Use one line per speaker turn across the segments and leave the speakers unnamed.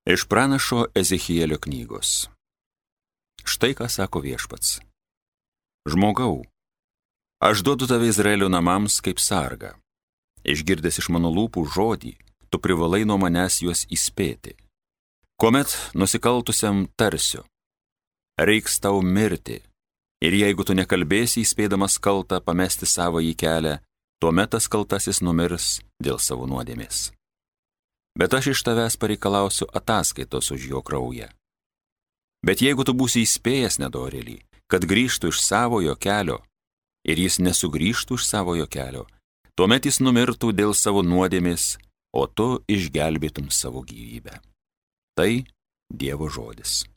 Iš pranašo Ezechielio knygos. Štai ką sako viešpats. Žmogau, aš duodu tave Izraelio namams kaip sargą. Išgirdęs iš mano lūpų žodį, tu privalai nuo manęs juos įspėti. Kuomet nusikaltusiam tarsiu, reiks tau mirti, ir jeigu tu nekalbėsi įspėdamas kaltą pamesti savąjį kelią, tuomet tas kaltasis numirs dėl savo nuodėmės. Bet aš iš tavęs pareikalausiu ataskaitos už jo kraują. Bet jeigu tu būsi įspėjęs nedorėlį, kad grįžtų iš savojo kelio, ir jis nesugrįžtų iš savojo kelio, tuomet jis numirtų dėl savo nuodėmės, o tu išgelbėtum savo gyvybę. Tai Dievo žodis.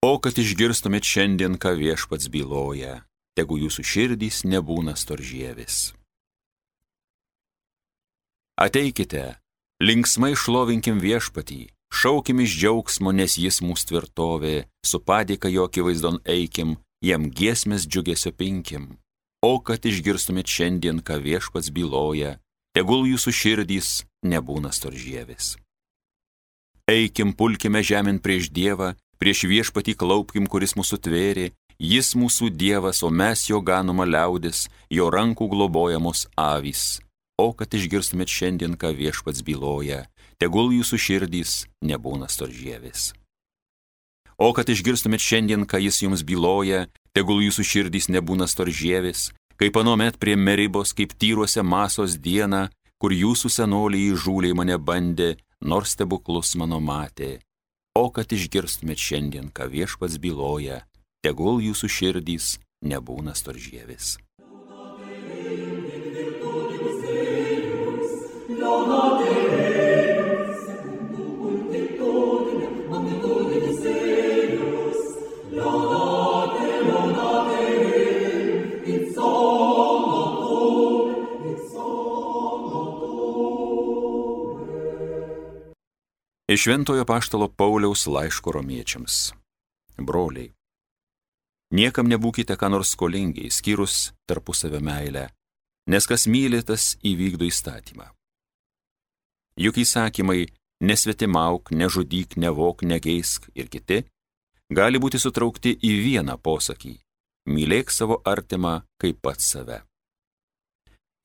O kad išgirstumėt šiandien, ką viešpats byloja, tegu jūsų širdys nebūna storžievis. Ateikite, linksmai šlovinkim viešpatį, šaukim iš džiaugsmo, nes jis mūsų tvirtovė, su padėka jo akivaizdon eikim, jam giesmės džiugesio pinkim. O kad išgirstumėt šiandien, ką viešpats byloja, tegul jūsų širdys nebūna storžievis. Eikim, pulkime žemėn prieš Dievą, prieš viešpatį klaupkim, kuris mūsų tvėrė, jis mūsų Dievas, o mes jo ganoma liaudis, jo rankų globojamos avys. O kad išgirstumėt šiandien, ką viešpats byloja, tegul jūsų širdys nebūna storžievis. O kad išgirstumėt šiandien, ką jis jums byloja, tegul jūsų širdys nebūna storžievis, kaip anuomet prie Meribos, kaip tyruose Masos dieną, kur jūsų senoliai įžūliai mane bandė, nors stebuklus mano matė. O kad išgirstumėt šiandien, ką viešpats byloja, tegul jūsų širdys nebūna storžievis. Iš Šventojo apaštalo Pauliaus laiško romiečiams. Broliai, niekam nebūkite ką nors skolingi, išskyrus tarpusavio meilę, nes kas myli, tas įvykdo įstatymą. Juk įsakymai nesvetimauk, nežudyk, nevok, negeisk ir kiti gali būti sutraukti į vieną posakį – mylėk savo artimą kaip pats save.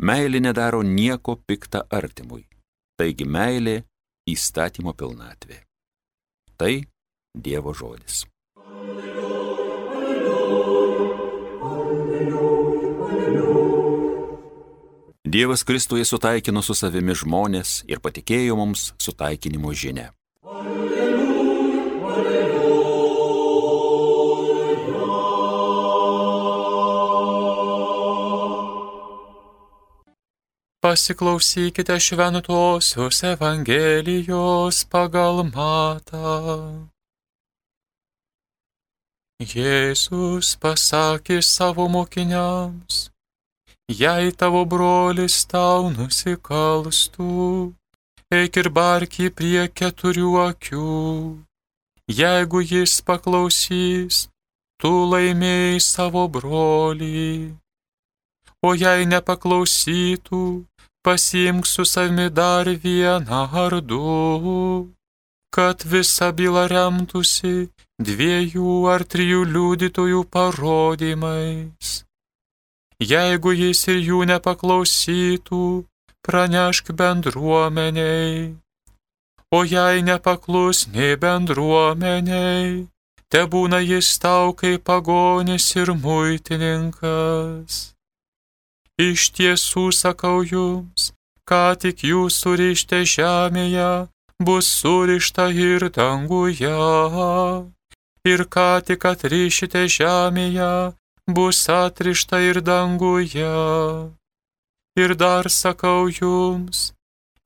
Meilė nedaro nieko pikta artimui, taigi meilė įstatymo pilnatvė. Tai Dievo žodis. Dievas Kristuje sutaikino su savimi žmonės ir patikėjo mums sutaikinimo žinią.
Pasiklausykite šventosios Evangelijos pagal Matą. Jėzus pasakė savo mokiniams: jei tavo brolis tau nusikalstų, eik ir bark jį prie 4 akių. Jeigu jis paklausys, tu laimėjai savo brolį. O jei nepaklausytų, pasiimk su savimi dar 1 ar 2, kad visa byla remtųsi 2 ar 3 liudytojų parodymais. Jeigu jis ir jų nepaklausytų, pranešk bendruomeniai. O jei nepaklus nei bendruomeniai, tebūna jis tau kaip pagonis ir muitininkas. Iš tiesų sakau jums, ką tik jūs surišте žemėje, bus surišta ir danguje, ir ką tik atrišite žemėje, bus atrišta ir danguje. Ir dar sakau jums,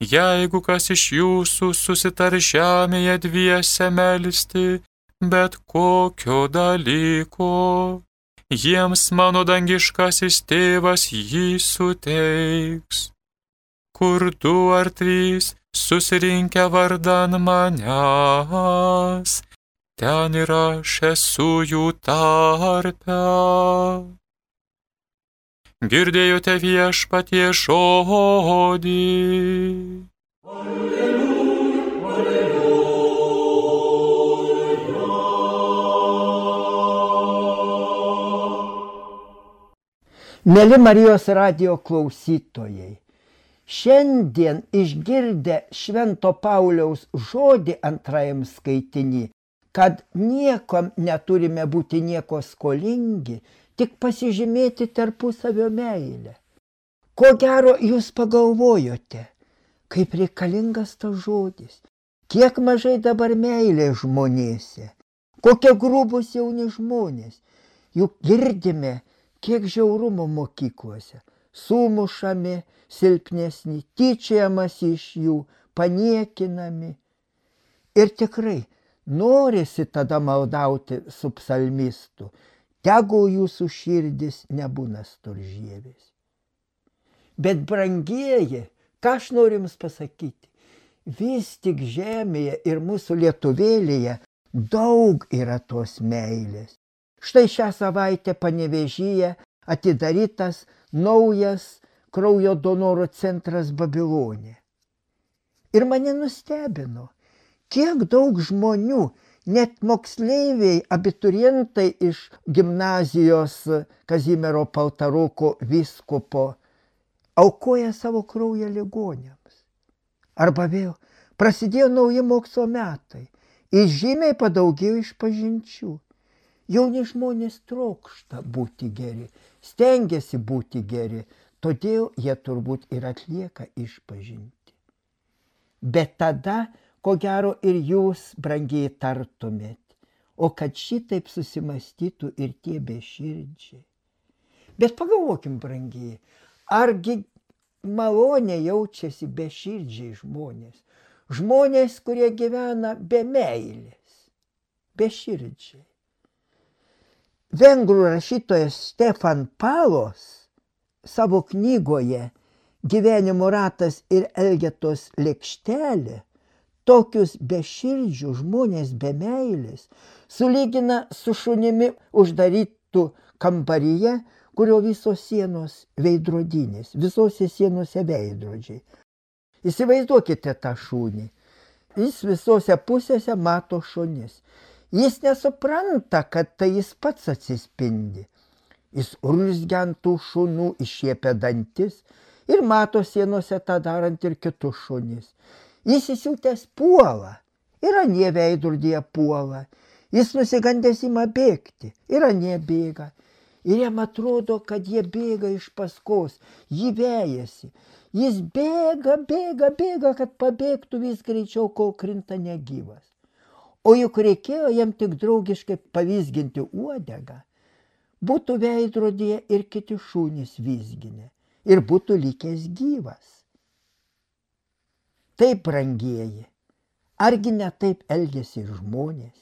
jeigu kas iš jūsų susitar žemėje 2 melsti, bet kokio dalyko, jiems mano dangiškasis tėvas jį suteiks. Kur 2 ar 3 susirinkę vardan manęs, ten ir aš esu jų tarpe. Girdėjote Viešpaties žodį.
Mėly Marijos radijo klausytojai, šiandien išgirdę Švento Pauliaus žodį antrajam skaitinį, kad niekam neturime būti nieko skolingi, tik pasižymėti tarpusavio meilę. Ko gero jūs pagalvojote, kaip reikalingas tas žodis, kiek mažai dabar meilė žmonėse, kokie grubus jauni žmonės, juk girdime, kiek žiaurumo mokyklose, sumušami, silpnesni, tyčiajamas iš jų, paniekinami. Ir tikrai norisi tada maldauti su psalmistu, tegul jūsų širdis nebūna storžievis. Bet brangieji, ką aš noriu jums pasakyti, vis tik žemėje ir mūsų lietuvėlėje daug yra tos meilės. Štai šią savaitę Panevėžyje atidarytas naujas kraujo donoro centras Babilonė. Ir mane nustebino, kiek daug žmonių, net moksleiviai, abiturientai iš gimnazijos Kazimiero Paltaruko vyskupo, aukoja savo kraują ligoniams. Arba vėl prasidėjo nauji mokslo metai ir žymiai padaugėjo išpažinčių. Jauni žmonės trokšta būti geri, stengiasi būti geri, todėl jie turbūt ir atlieka išpažinti. Bet tada, ko gero, ir jūs, brangiai, tartumėt, o kad šitaip susimastytų ir tie beširdžiai. Bet pagalvokim, brangiai, argi malonė jaučiasi beširdžiai žmonės, žmonės, kurie gyvena be meilės, beširdžiai. Vengrų rašytojas Stefan Palos savo knygoje Gyvenimo ratas ir Elgetos lėkštelė tokius beširdžių žmonės be meilės sulygina su šunimi uždarytų kambaryje, kurio visos sienos veidrodinės, visose sienose veidrodžiai. Įsivaizduokite tą šunį. Jis visose pusėse mato šunis. Jis nesupranta, kad tai jis pats atsispindi. Jis urzgia ant tų šunų, iššiepia dantis ir mato sienose tą darant ir kitus šunis. Jis įsiutęs puola ir anie veidrodyje puola. Jis nusigandęs ima bėgti ir anie bėga. Ir jam atrodo, kad jie bėga iš paskos, jį vejasi. Jis bėga, kad pabėgtų vis greičiau, kol krinta negyvas. O juk reikėjo jam tik draugiškai pavizginti uodegą, būtų veidrodyje ir kiti šunys vizginę ir būtų likęs gyvas. Taip, brangieji, argi ne taip elgiasi ir žmonės,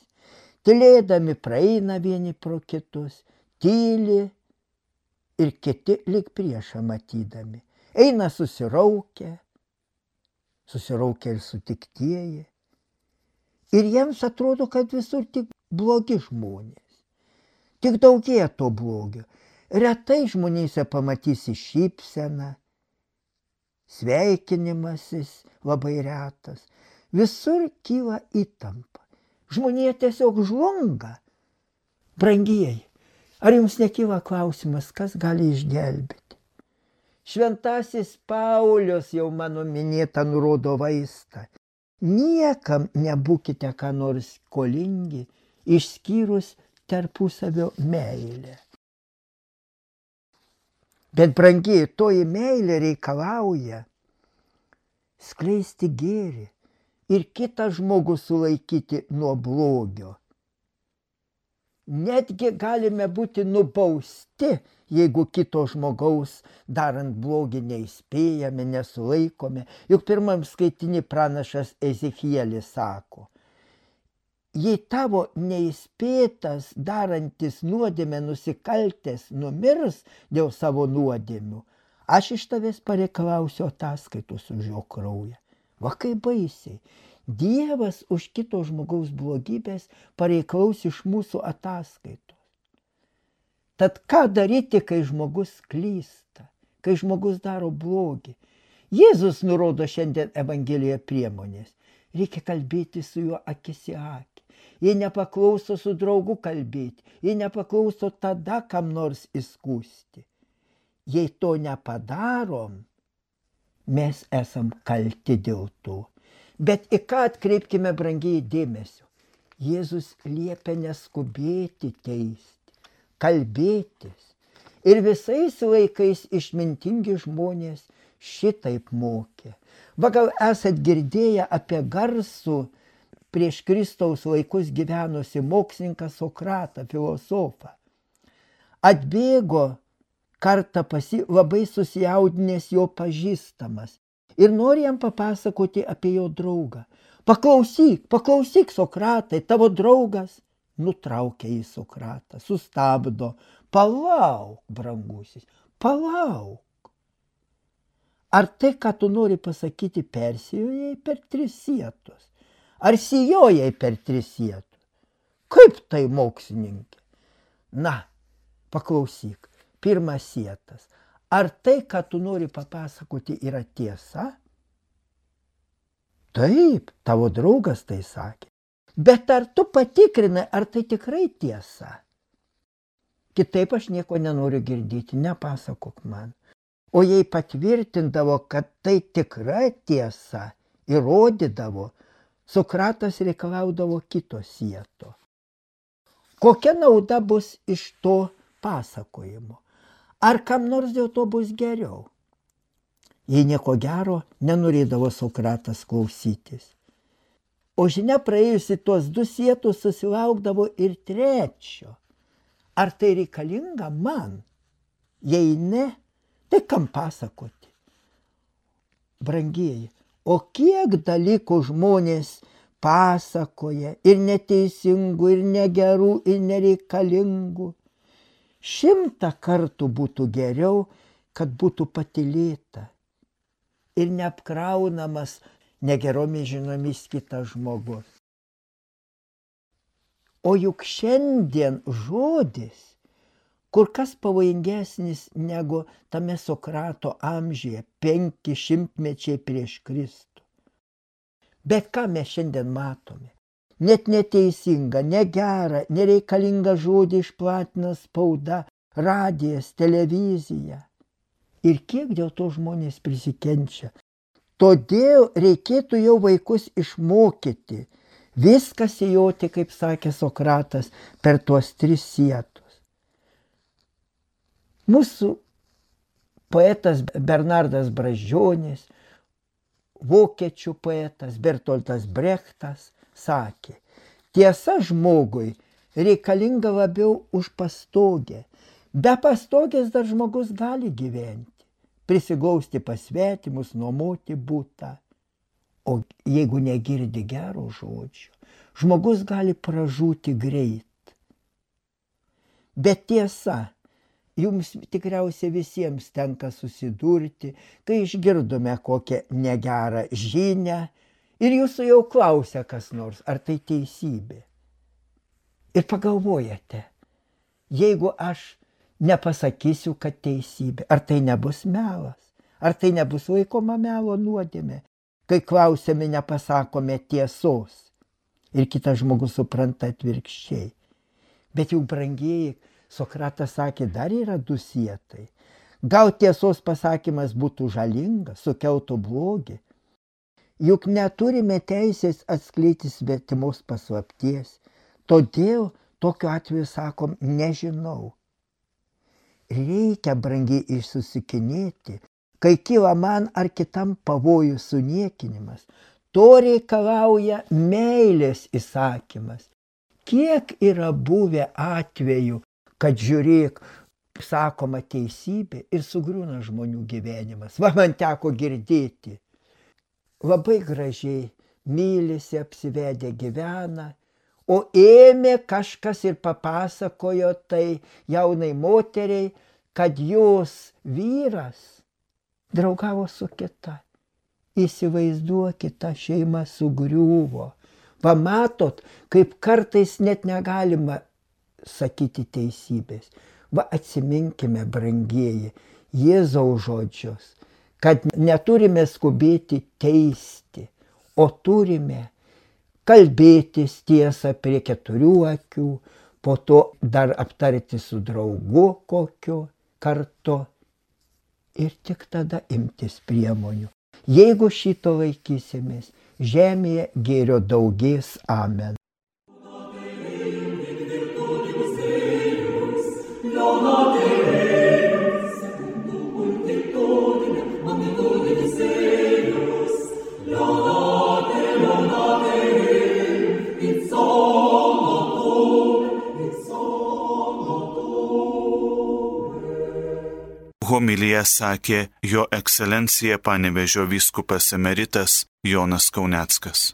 tylėdami praeina vieni pro kitus, tyli ir kiti lyg priešą matydami, eina susiraukę ir sutiktieji. Ir jiems atrodo, kad visur tik blogi žmonės. Tik daugėja to blogio. Retai žmonėse pamatysi šypseną, sveikinimasis labai retas. Visur kyla įtampa. Žmonėje tiesiog žlunga. Brangieji, ar jums nekyla klausimas, kas gali išgelbėti? Šventasis Paulius jau mano minėtą nurodo vaistą. Niekam nebūkite ką nors skolingi, išskyrus tarpusavio meilę. Bet, brangiai, toji meilė reikalauja skleisti gėrį ir kitą žmogų sulaikyti nuo blogio. Netgi galime būti nubausti, jeigu kito žmogaus darant blogį neįspėjame, nesulaikome. Juk pirmam skaitinį pranašas Ezekielis sako, jei tavo neįspėtas, darantis nuodėmę nusikaltęs numirs dėl savo nuodėmių, aš iš tavęs pareikalausiu ataskaitos už jo kraują. Va kaip baisiai. Dievas už kito žmogaus blogybės pareikalaus iš mūsų ataskaitos. Tad ką daryti, kai žmogus klysta, kai žmogus daro blogį? Jėzus nurodo šiandien Evangelijoje priemonės. Reikia kalbėti su juo akis į akį. Jei nepaklauso, su draugu kalbėti. Jei nepaklauso, tada kam nors įskųsti. Jei to nepadarom, mes esam kalti dėl to. Bet į ką atkreipkime, brangiai, dėmesio? Jėzus liepia neskubėti teisti, kalbėtis. Ir visais laikais išmintingi žmonės šitaip mokė. Va gal esat girdėję apie garsų prieš Kristaus laikus gyvenusi mokslininką Sokratą, filosofą. Atbėgo kartą labai susijaudinęs jo pažįstamas ir nori jam papasakoti apie jo draugą. Paklausyk, Sokratai, tavo draugas. Nutraukia į Sokratą, sustabdo. Palauk, brangusis, palauk. Ar tai, ką tu nori pasakyti, persijojai per 3 sietus? Ar sijojai per 3 sietus? Kaip tai, mokslininkė? Na, paklausyk, 1 sietas. Ar tai, ką tu nori papasakoti, yra tiesa? Taip, tavo draugas tai sakė. Bet ar tu patikrinai, ar tai tikrai tiesa? Kitaip aš nieko nenoriu girdėti, nepasakok man. O jei patvirtindavo, kad tai tikra tiesa, įrodydavo, Sokratas reikalaudavo kito sieto. Kokia nauda bus iš to pasakojimo? Ar kam nors dėl to bus geriau? Jei nieko gero, nenorėdavo Sokratas klausytis. O žinia, praėjusi tuos 2 sietus susilaukdavo ir 3. Ar tai reikalinga man? Jei ne, tai kam pasakoti? Brangieji, o kiek dalykų žmonės pasakoja ir neteisingų, ir negerų, ir nereikalingų. 100 kartų būtų geriau, kad būtų patylėta ir neapkraunamas negeromis žinomis kitas žmogus. O juk šiandien žodis kur kas pavojingesnis negu tame Sokrato amžiuje, 500 mečiai prieš Kristų. Bet ką mes šiandien matome? Net neteisinga, negera, nereikalinga žodį išplatina spauda, radijas, televizija. Ir kiek dėl to žmonės prisikenčia. Todėl reikėtų jau vaikus išmokyti, viską sijoti, kaip sakė Sokratas, per tuos 3 sietus. Mūsų poetas Bernardas Brazdžionis, vokiečių poetas Bertoltas Brechtas sakė, tiesa žmogui reikalinga labiau už pastogę. Be pastogės dar žmogus gali gyventi, prisiglausti pas svetimus, nuomoti butą. O jeigu negirdi gero žodžio, žmogus gali pražūti greit. Bet tiesa, jums tikriausiai visiems tenka susidurti, kai išgirdome kokią negerą žinią ir jūsų jau klausia kas nors, ar tai teisybė. Ir pagalvojate, jeigu aš nepasakysiu, kad teisybė, ar tai nebus melas, ar tai nebus laikoma melo nuodėmė, kai klausiame nepasakome tiesos ir kitas žmogus supranta atvirkščiai. Bet jau brangieji, Sokratas sakė, dar yra 2 sietai. Gal tiesos pasakymas būtų žalingas, sukeltų blogį. Juk neturime teisės atskleiti svetimos paslapties. Todėl tokiu atveju sakom, nežinau. Reikia brangiai išsusikinėti, kai kyla man ar kitam pavojų suniekinimas. To reikalauja meilės įsakymas. Kiek yra buvę atvejų, kad žiūrėk, sakoma teisybė ir sugriūna žmonių gyvenimas. Va, man teko girdėti. Labai gražiai mylisi, apsivedę gyvena, o ėmė kažkas ir papasakojo tai jaunai moteriai, kad jos vyras draugavo su kita. Įsivaizduokit, ta šeima sugriuvo. Pamatot, kaip kartais net negalima sakyti teisybės. Va atsiminkime, brangieji, Jėzaus žodžius, kad neturime skubėti teisti, o turime kalbėtis tiesą prie 4 akių, po to dar aptarti su draugu kokiu kartu ir tik tada imtis priemonių. Jeigu šito laikysimės, žemėje gėrio daugės. Amen.
Homiliją sakė jo ekscelencija Panevėžio vyskupas emeritas Jonas Kauneckas.